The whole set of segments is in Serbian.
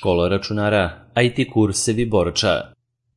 Škola računara, IT kursevi Borča.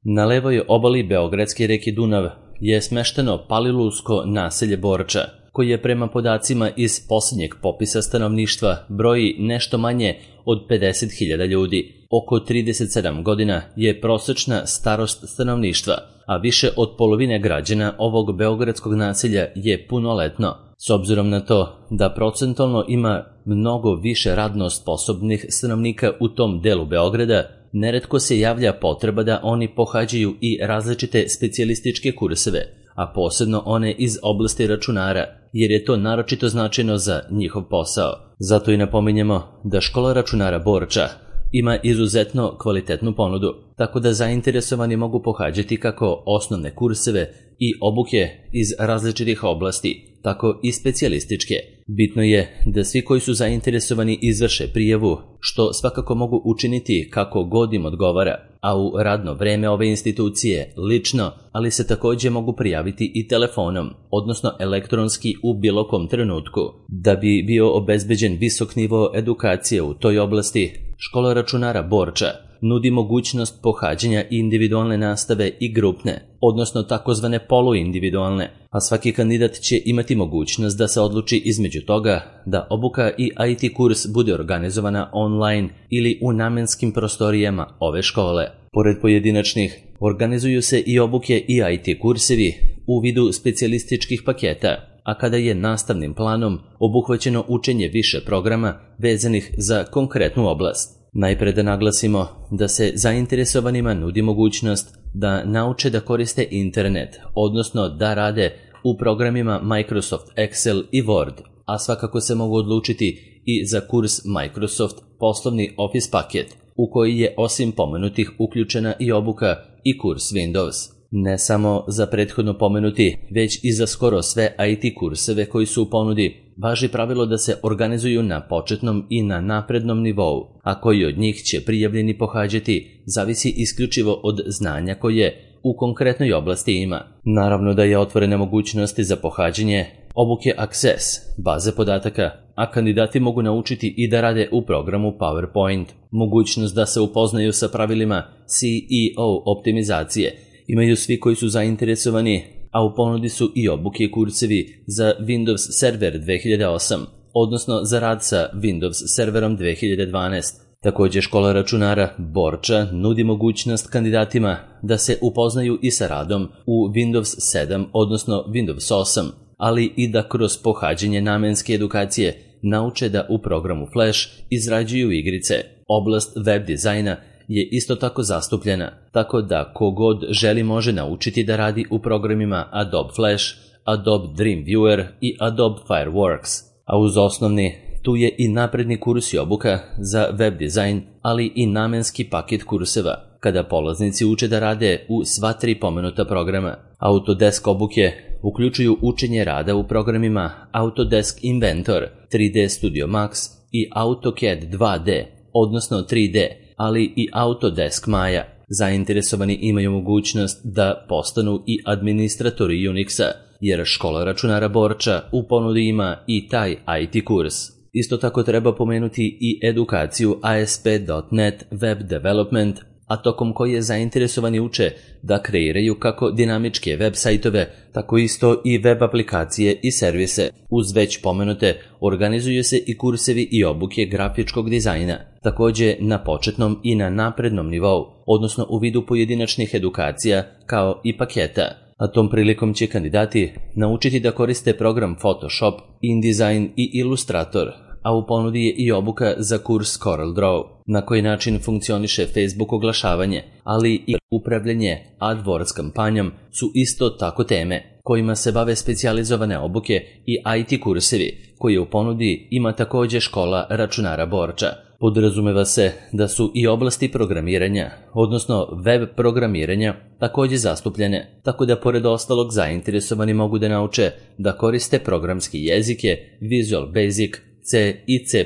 Na levoj obali beogradske reke Dunav je smešteno Palilulsko naselje Borča, koje prema podacima iz posljednjeg popisa stanovništva broji nešto manje od 50.000 ljudi. Oko 37 godina je prosečna starost stanovništva, a više od polovine građana ovog beogradskog naselja je punoletno. S obzirom na to da procentualno ima mnogo više radno sposobnih stanovnika u tom delu Beograda, neretko se javlja potreba da oni pohađaju i različite specijalističke kurseve, a posebno one iz oblasti računara, jer je to naročito značajno za njihov posao. Zato i napominjemo da Škola računara Borča ima izuzetno kvalitetnu ponudu, tako da zainteresovani mogu pohađati kako osnovne kurseve i obuke iz različitih oblasti, tako i specijalističke. Bitno je da svi koji su zainteresovani izvrše prijavu, što svakako mogu učiniti kako god im odgovara, a u radno vreme ove institucije lično, ali se također mogu prijaviti i telefonom, odnosno elektronski u bilo kom trenutku. Da bi bio obezbeđen visok nivo edukacije u toj oblasti, Škola računara Borča nudi mogućnost pohađanja individualne nastave i grupne, odnosno takozvane poluindividualne, a svaki kandidat će imati mogućnost da se odluči između toga da obuka i IT kurs bude organizovana online ili u namenskim prostorijama ove škole. Pored pojedinačnih, organizuju se i obuke i IT kursevi u vidu specijalističkih paketa, a kada je nastavnim planom obuhvaćeno učenje više programa vezanih za konkretnu oblast. Najpre da naglasimo da se zainteresovanima nudi mogućnost da nauče da koriste internet, odnosno da rade u programima Microsoft Excel i Word, a svakako se mogu odlučiti i za kurs Microsoft poslovni Office paket, u koji je osim pomenutih uključena i obuka i kurs Windows. Ne samo za prethodno pomenuti, već i za skoro sve IT kurseve koji su u ponudi, važi pravilo da se organizuju na početnom i na naprednom nivou, a koji od njih će prijavljeni pohađati zavisi isključivo od znanja koje u konkretnoj oblasti ima. Naravno da je otvorena mogućnosti za pohađanje obuke Access, baze podataka, a kandidati mogu naučiti i da rade u programu PowerPoint. Mogućnost da se upoznaju sa pravilima CEO optimizacije imaju svi koji su zainteresovani, a u ponudi su i obuke i kursevi za Windows Server 2008, odnosno za rad sa Windows Serverom 2012. Također Škola računara Borča nudi mogućnost kandidatima da se upoznaju i sa radom u Windows 7, odnosno Windows 8, ali i da kroz pohađanje namenske edukacije nauče da u programu Flash izrađuju igrice. Oblast web dizajna je isto tako zastupljena, tako da kogod želi može naučiti da radi u programima Adobe Flash, Adobe Dreamweaver i Adobe Fireworks. A uz osnovni, tu je i napredni kurs i obuka za web dizajn, ali i namenski paket kurseva, kada polaznici uče da rade u sva 3 pomenuta programa. Autodesk obuke uključuju učenje rada u programima Autodesk Inventor, 3D Studio Max i AutoCAD 2D, odnosno 3D, ali i Autodesk Maya. Zainteresovani imaju mogućnost da postanu i administratori Unixa, jer Škola računara Borča u ponudi ima i taj IT kurs. Isto tako treba pomenuti i edukaciju ASP.NET Web Development, a tokom koje zainteresovani uče da kreiraju kako dinamičke web sajtove, tako isto i web aplikacije i servise. Uz već pomenute organizuju se i kursevi i obuke grafičkog dizajna, također na početnom i na naprednom nivou, odnosno u vidu pojedinačnih edukacija kao i paketa. A tom prilikom će kandidati naučiti da koriste program Photoshop, InDesign i Illustrator, a u ponudi je i obuka za kurs CorelDRAW, na koji način funkcioniše Facebook oglašavanje, ali i upravljanje AdWords kampanjom su isto tako teme kojima se bave specijalizovane obuke i IT kursevi, koje u ponudi ima također Škola računara Borča. Podrazumeva se da su i oblasti programiranja, odnosno web programiranja, također zastupljene, tako da pored ostalog zainteresovani mogu da nauče da koriste programske jezike Visual Basic, C i C++,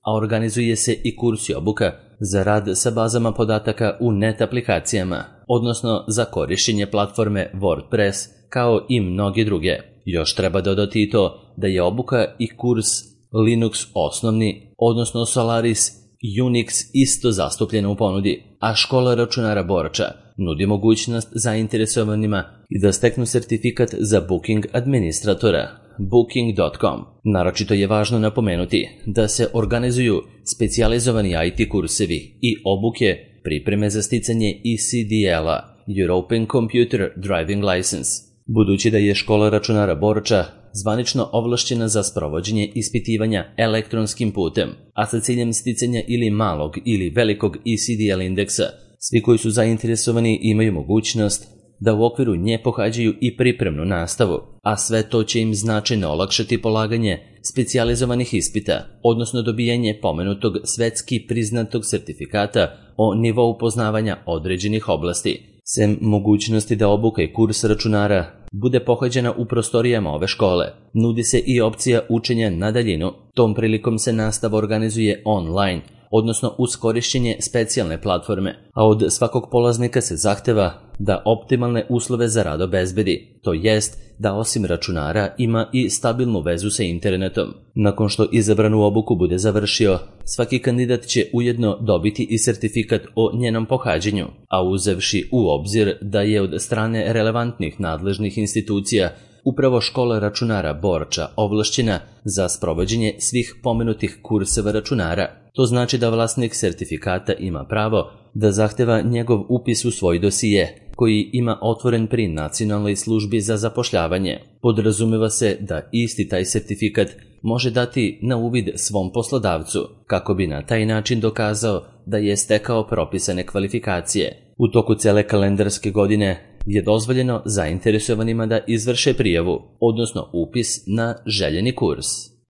a organizuje se i kurs i obuka za rad sa bazama podataka u net aplikacijama, odnosno za korištenje platforme WordPress, kao i mnoge druge. Još treba dodati i to da je obuka i kurs Linux osnovni, odnosno Solaris Unix isto zastupljena u ponudi, a škola računara Borča nudi mogućnost zainteresovanima i da steknu sertifikat za Booking administratora, Booking.com. Naročito je važno napomenuti da se organizuju specijalizovani IT kursevi i obuke pripreme za sticanje ECDL-a, European Computer Driving License. Budući da je škola računara Borča zvanično ovlašćena za sprovođenje ispitivanja elektronskim putem, a sa ciljem sticanja ili malog ili velikog ECDL indeksa, svi koji su zainteresovani imaju mogućnost da u okviru nje pohađaju i pripremnu nastavu, a sve to će im značajno olakšati polaganje specijalizovanih ispita, odnosno dobijanje pomenutog svetski priznatog sertifikata o nivou poznavanja određenih oblasti. Sem mogućnosti da obuka i kurs računara bude pohađena u prostorijama ove škole, nudi se i opcija učenja na daljinu. Tom prilikom se nastava organizuje online, odnosno uz korišćenje specijalne platforme, a od svakog polaznika se zahteva da optimalne uslove za rad obezbedi, to jest da osim računara ima i stabilnu vezu sa internetom. Nakon što izabranu obuku bude završio, svaki kandidat će ujedno dobiti i sertifikat o njenom pohađanju, a uzevši u obzir da je od strane relevantnih nadležnih institucija upravo škola računara Borča ovlašćena za sprovođenje svih pomenutih kurseva računara. To znači da vlasnik sertifikata ima pravo da zahteva njegov upis u svoj dosije, koji ima otvoren pri Nacionalnoj službi za zapošljavanje. Podrazumeva se da isti taj sertifikat može dati na uvid svom poslodavcu, kako bi na taj način dokazao da je stekao propisane kvalifikacije. U toku cele kalendarske godine je dozvoljeno zainteresovanima da izvrše prijavu, odnosno upis na željeni kurs.